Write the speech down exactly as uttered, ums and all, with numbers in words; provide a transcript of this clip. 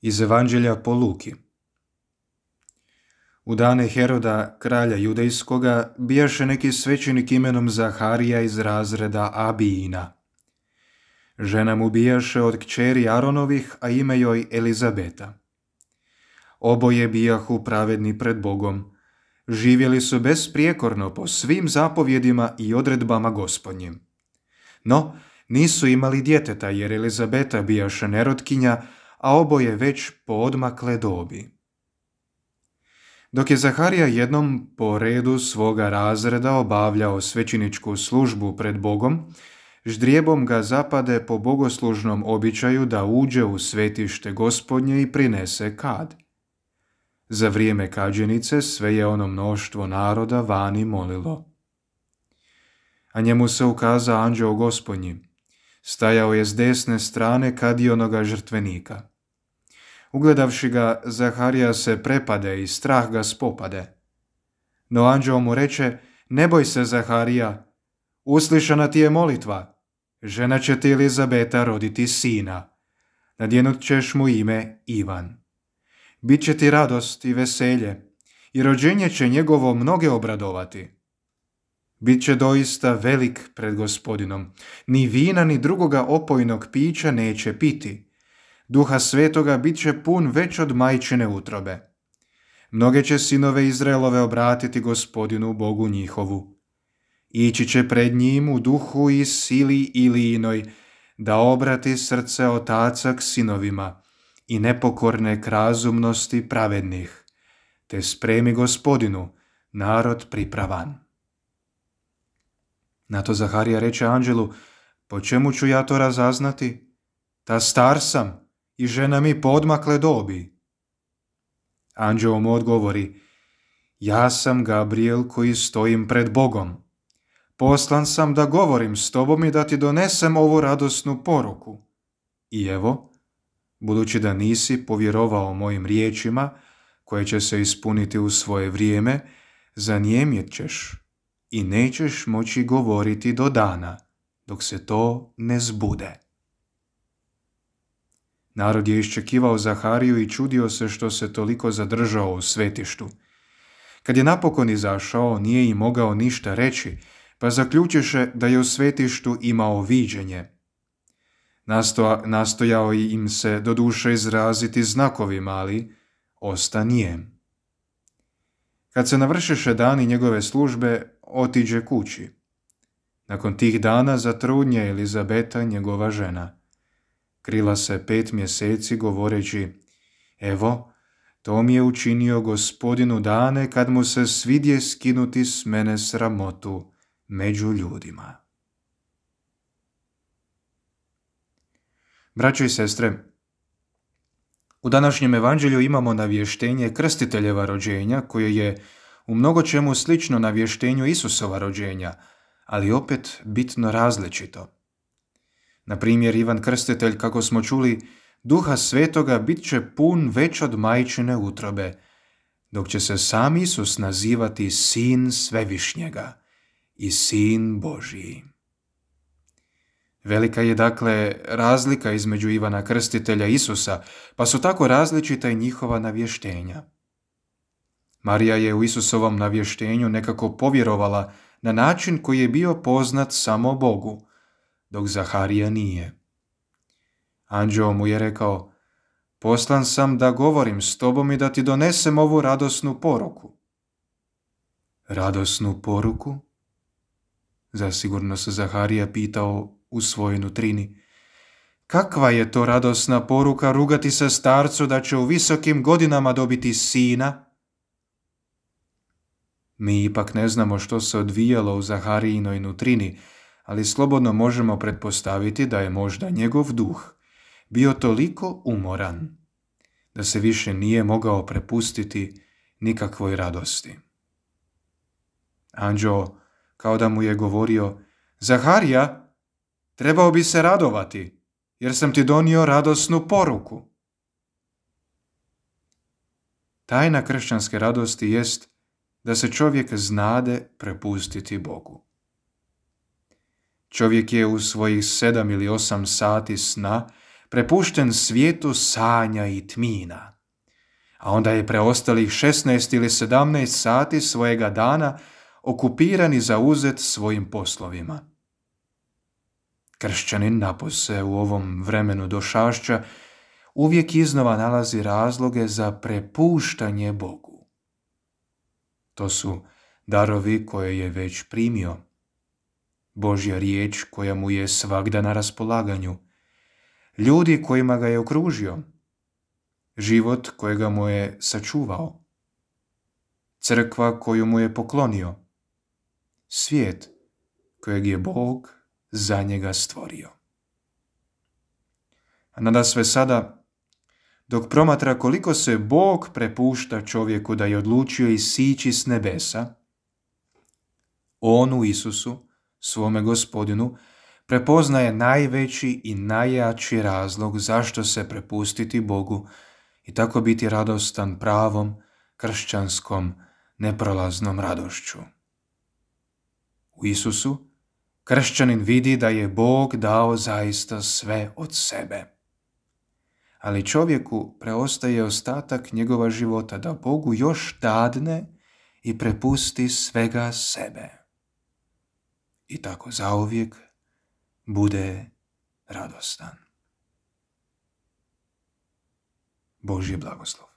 Iz Evanđelja po Luki. U dane Heroda, kralja judejskoga, bijaše neki svećenik imenom Zaharija iz razreda Abijina. Žena mu bijaše od kćeri Aronovih, a ime joj Elizabeta. Oboje bijahu pravedni pred Bogom. Živjeli su besprijekorno po svim zapovjedima i odredbama Gospodnjim. No, nisu imali djeteta, jer Elizabeta bijaše nerotkinja, a oboje već poodmakle dobi. Dok je Zaharija jednom po redu svoga razreda obavljao svećeničku službu pred Bogom, ždrijebom ga zapade po bogoslužnom običaju da uđe u svetište Gospodnje i prinese kad. Za vrijeme kađenice sve je ono mnoštvo naroda vani molilo. A njemu se ukaza anđeo Gospodnji. Stajao je s desne strane kadionoga žrtvenika. Ugledavši ga, Zaharija se prepade i strah ga spopade. No anđeo mu reče: ne boj se, Zaharija, uslišana ti je molitva. Žena će ti Elizabeta roditi sina. Nadjenut ćeš mu ime Ivan. Biće ti radost i veselje, i rođenje će njegovo mnoge obradovati. Biće doista velik pred Gospodinom. Ni vina ni drugoga opojnog pića neće piti. Duha Svetoga bit će pun već od majčine utrobe. Mnoge će sinove Izraelove obratiti Gospodinu Bogu njihovu. Ići će pred njim u duhu i sili Ilijinoj, da obrati srce otaca k sinovima i nepokorne k razumnosti pravednih, te spremi Gospodinu narod pripravan. Na to Zaharija reče anđelu: po čemu ću ja to razaznati? Ta star sam i žena mi poodmakle dobi. Anđeo mu odgovori: ja sam Gabriel koji stojim pred Bogom. Poslan sam da govorim s tobom i da ti donesem ovu radosnu poruku. I evo, budući da nisi povjerovao mojim riječima, koje će se ispuniti u svoje vrijeme, zanijemjet ćeš i nećeš moći govoriti do dana, dok se to ne zbude. Narod je iščekivao Zahariju i čudio se što se toliko zadržao u svetištu. Kad je napokon izašao, nije im mogao ništa reći, pa zaključiše da je u svetištu imao viđenje. Nasto, nastojao im se doduše izraziti znakovima, ali osta nijem. Kad se navršiše dani njegove službe, otiđe kući. Nakon tih dana zatrudnje Elizabeta, njegova žena. Krila se pet mjeseci govoreći: evo, to mi je učinio Gospodinu dane kad mu se svidje skinuti s mene sramotu među ljudima. Braćo i sestre, u današnjem evanđelju imamo navještenje krstiteljeva rođenja, koje je u mnogo čemu slično navještenju Isusova rođenja, ali opet bitno različito. Na primjer, Ivan Krstitelj, kako smo čuli, Duha Svetoga bit će pun već od majčine utrobe, dok će se sam Isus nazivati Sin Svevišnjega i Sin Božiji. Velika je dakle razlika između Ivana Krstitelja i Isusa, pa su tako različita i njihova navještenja. Marija je u Isusovom navještenju nekako povjerovala na način koji je bio poznat samo Bogu, dok Zaharija nije. Anđeo mu je rekao: poslan sam da govorim s tobom i da ti donesem ovu radosnu poruku. Radosnu poruku? Zasigurno se Zaharija pitao u svojoj nutrini. Kakva je to radosna poruka rugati se starcu da će u visokim godinama dobiti sina? Mi ipak ne znamo što se odvijalo u Zaharijinoj nutrini, ali slobodno možemo pretpostaviti da je možda njegov duh bio toliko umoran da se više nije mogao prepustiti nikakvoj radosti. Anđeo, kao da mu je govorio: Zaharija, trebao bi se radovati, jer sam ti donio radosnu poruku. Tajna kršćanske radosti jest da se čovjek znade prepustiti Bogu. Čovjek je u svojih sedam ili osam sati sna prepušten svijetu sanja i tmina. A onda je preostalih šesnaest ili sedamnaest sati svojega dana okupiran i zauzet svojim poslovima. Kršćanin napose u ovom vremenu došašća uvijek iznova nalazi razloge za prepuštanje Bogu. To su darovi koje je već primio, Božja riječ koja mu je svagda na raspolaganju, ljudi kojima ga je okružio, život kojega mu je sačuvao, crkva koju mu je poklonio, svijet kojeg je Bog za njega stvorio. A nadasve sada, dok promatra koliko se Bog prepušta čovjeku da je odlučio isići s nebesa, on u Isusu, svome Gospodinu, prepoznaje najveći i najjači razlog zašto se prepustiti Bogu i tako biti radostan pravom, kršćanskom, neprolaznom radošću. U Isusu kršćanin vidi da je Bog dao zaista sve od sebe. Ali čovjeku preostaje ostatak njegova života da Bogu još dadne i prepusti svega sebe. I tako zauvijek bude radostan. Božji blagoslov.